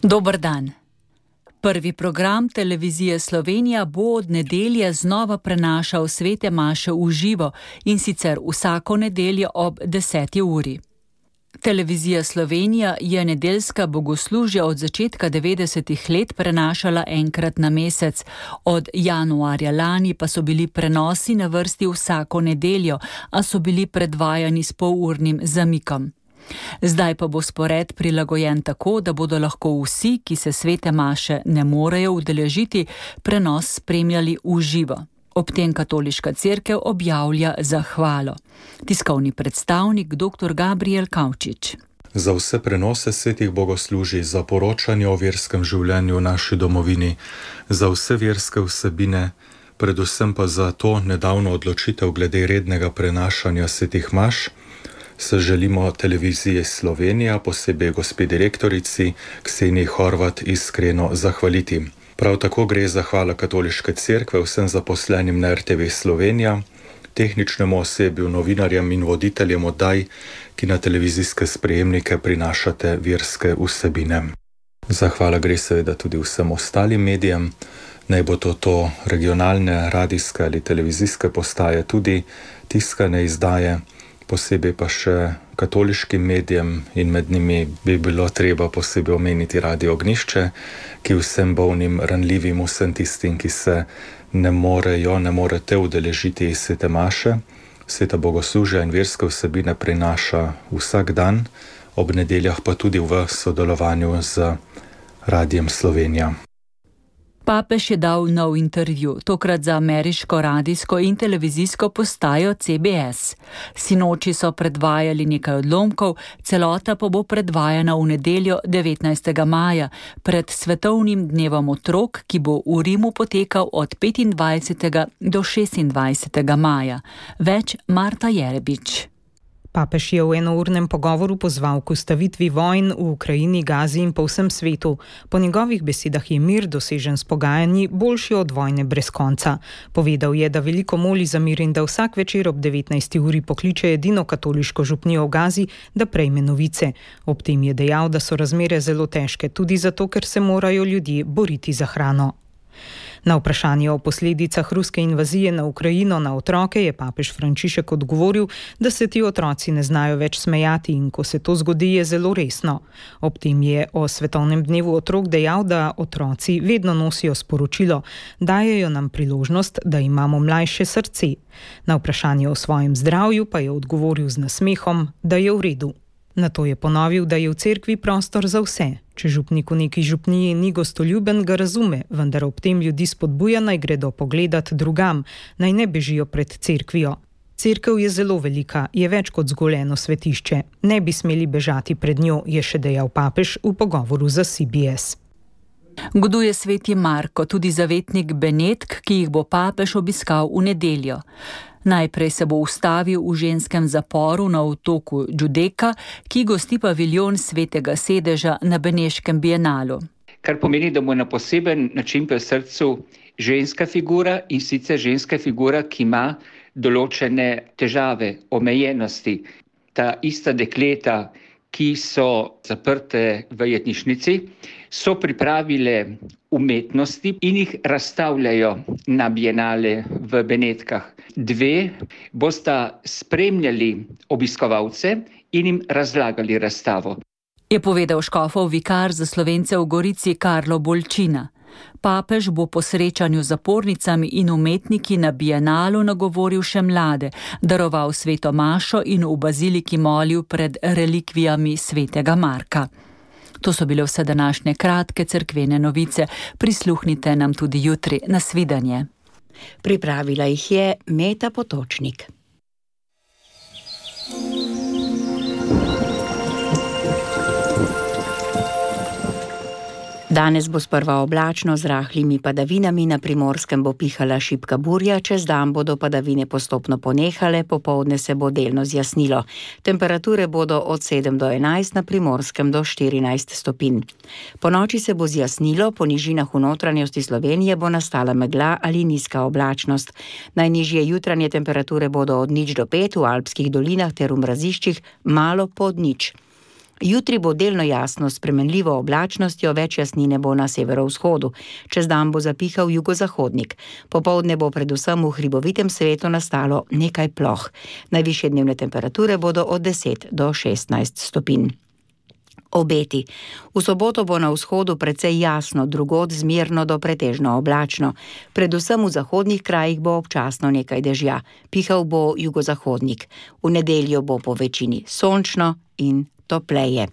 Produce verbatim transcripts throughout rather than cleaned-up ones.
Dober dan. Prvi program Televizije Slovenija bo od nedelje znova prenašal svete maše v živo, in sicer vsako nedeljo ob deseti uri. Televizija Slovenija je nedeljska bogoslužja od začetka devetdesetih let prenašala enkrat na mesec, od januarja lani pa so bili prenosi na vrsti vsako nedeljo, a so bili predvajani s polurnim zamikom. Zdaj pa bo spored prilagojen tako, da bodo lahko vsi, ki se svete maše ne morejo udeležiti, prenos spremljali v živo. Ob tem Katoliška cerkev objavlja zahvalo. Tiskovni predstavnik dr. Gabriel Kavčič. Za vse prenose svetih bogoslužij, za poročanje o verskem življenju v naši domovini, za vse verske vsebine, predvsem pa za to nedavno odločitev glede rednega prenašanja svetih maš, se želimo Televiziji Slovenija, posebej gospe direktorici Kseniji Horvat, iskreno zahvaliti. Prav tako gre zahvala Katoliške cerkve vsem zaposlenim na R T V Slovenija, tehničnemu osebju, novinarjem in voditeljem oddaj, ki na televizijske sprejemnike prinašate verske vsebine. Zahvala gre seveda tudi vsem ostalim medijem, naj bo to to regionalne, radijske ali televizijske postaje, tudi tiskane izdaje, posebej pa še katoliškim medijem, in med njimi bi bilo treba posebej omeniti Radio Ognjišče, ki vsem bolnim, ranljivim, vsem tistim, ki se ne morejo, ne morete udeležiti iz svete maše, sveta bogoslužja in verske vsebine prinaša vsak dan, ob nedeljah pa tudi v sodelovanju z Radijem Slovenija. Papež je dal nov intervju, tokrat za ameriško radijsko in televizijsko postajo C B S. Sinoči so predvajali nekaj odlomkov, celota pa bo predvajana v nedeljo devetnajstega maja, pred svetovnim dnevom otrok, ki bo v Rimu potekal od petindvajsetega do šestindvajsetega maja. Več Marta Jerebič. Papež je v enournem pogovoru pozval k ustavitvi vojn v Ukrajini, Gazi in po vsem svetu. Po njegovih besedah je mir, dosežen s pogajanji, boljši od vojne brez konca. Povedal je, da veliko moli za mir in da vsak večer ob devetnajsti uri pokliče edino katoliško župnijo v Gazi, da prejme novice. Ob tem je dejal, da so razmere zelo težke, tudi zato, ker se morajo ljudje boriti za hrano. Na vprašanje o posledicah ruske invazije na Ukrajino na otroke je papež Frančišek odgovoril, da se ti otroci ne znajo več smejati in ko se to zgodi, je zelo resno. Ob tem je o svetovnem dnevu otrok dejal, da otroci vedno nosijo sporočilo, dajejo nam priložnost, da imamo mlajše srce. Na vprašanje o svojem zdravju pa je odgovoril z nasmehom, da je v redu. Nato je ponovil, da je v cerkvi prostor za vse. Če župnik v neki župniji ni gostoljuben, ga razume, vendar ob tem ljudi spodbuja, naj gredo pogledat drugam, naj ne bežijo pred cerkvijo. Cerkev je zelo velika, je več kot zgolj eno svetišče. Ne bi smeli bežati pred njo, je še dejal papež v pogovoru za C B S. Goduje sveti Marko, tudi zavetnik Benedk, ki jih bo papež obiskal v nedeljo. Najprej se bo ustavil v ženskem zaporu na otoku Giudecca, ki gosti paviljon svetega sedeža na Beneškem bienalu. Kar pomeni, da mu na poseben način pri srcu ženska figura, in sicer ženska figura, ki ima določene težave, omejenosti. Ta ista dekleta, ki so zaprte v jetnišnici, so pripravile umetnosti in jih razstavljajo na bienale v Benetkah. Dve bosta spremljali obiskovalce in jim razlagali razstavo. Je povedal škofov vikar za Slovence v Gorici Karlo Bolčina. Papež bo po srečanju z zapornicami in umetniki na bienalu nagovoril še mlade, daroval sveto mašo in v baziliki molil pred relikvijami svetega Marka. To so bile vse današnje kratke cerkvene novice. Prisluhnite nam tudi jutri. Nasvidenje. Pripravila jih je Meta Potočnik. Danes bo sprva oblačno z rahlimi padavinami, na Primorskem bo pihala šibka burja, čez dan bodo padavine postopno ponehale, popoldne se bo delno zjasnilo. Temperature bodo od sedem do enajst, na Primorskem do štirinajst stopinj. Po noči se bo zjasnilo, po nižinah v notranjosti Slovenije bo nastala megla ali nizka oblačnost. Najnižje jutranje temperature bodo od nič do pet, v alpskih dolinah ter v mraziščih malo pod nič. Jutri bo delno jasno s spremenljivo oblačnostjo, več jasnine bo na severovzhodu. Čez dan bo zapihal jugozahodnik. Popoldne bo predvsem v hribovitem svetu nastalo nekaj ploh. Najvišje dnevne temperature bodo od deset do šestnajst stopinj. Obeti. V soboto bo na vzhodu precej jasno, drugod zmerno do pretežno oblačno. Predvsem v zahodnih krajih bo občasno nekaj dežja. Pihal bo jugozahodnik. V nedeljo bo po večini sončno in topleje.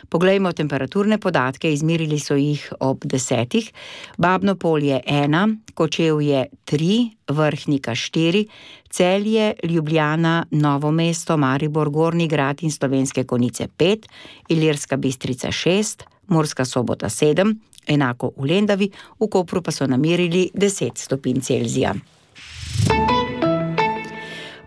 Poglejmo temperaturne podatke, izmerili so jih ob desetih. Babno Polje ena, Kočevje tri, Vrhnika štiri, Celje, Ljubljana, Novo mesto, Maribor, Gornji Grad in Slovenske Konjice pet, Ilirska Bistrica šest, Murska Sobota sedem, enako v Lendavi, v Kopru pa so namerili deset stopinj Celzija.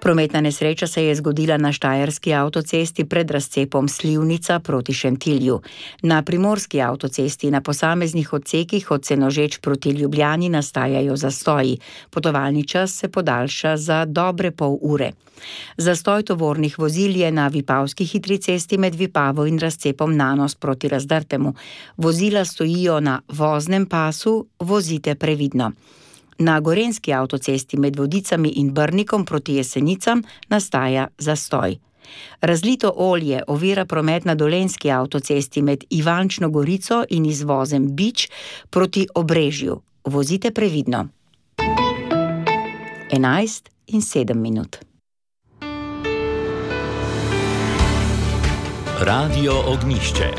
Prometna nesreča se je zgodila na štajerski avtocesti pred razcepom Slivnica proti Šentilju. Na primorski avtocesti na posameznih odsekih od Senožeč proti Ljubljani nastajajo zastoji. Potovalni čas se podaljša za dobre pol ure. Zastoj tovornih vozil je na Vipavski hitri cesti med Vipavo in razcepom Nanos proti Razdrtemu. Vozila stojijo na voznem pasu, vozite previdno. Na gorenski avtocesti med Vodicami in Brnikom proti Jesenicam nastaja zastoj. Razlito olje ovira promet na dolenjski avtocesti med Ivančno Gorico in izvozem Bič proti Obrežju. Vozite previdno. enajst in sedem minut. Radio Ognjišče.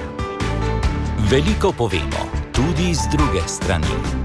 Veliko povemo, tudi z druge strani.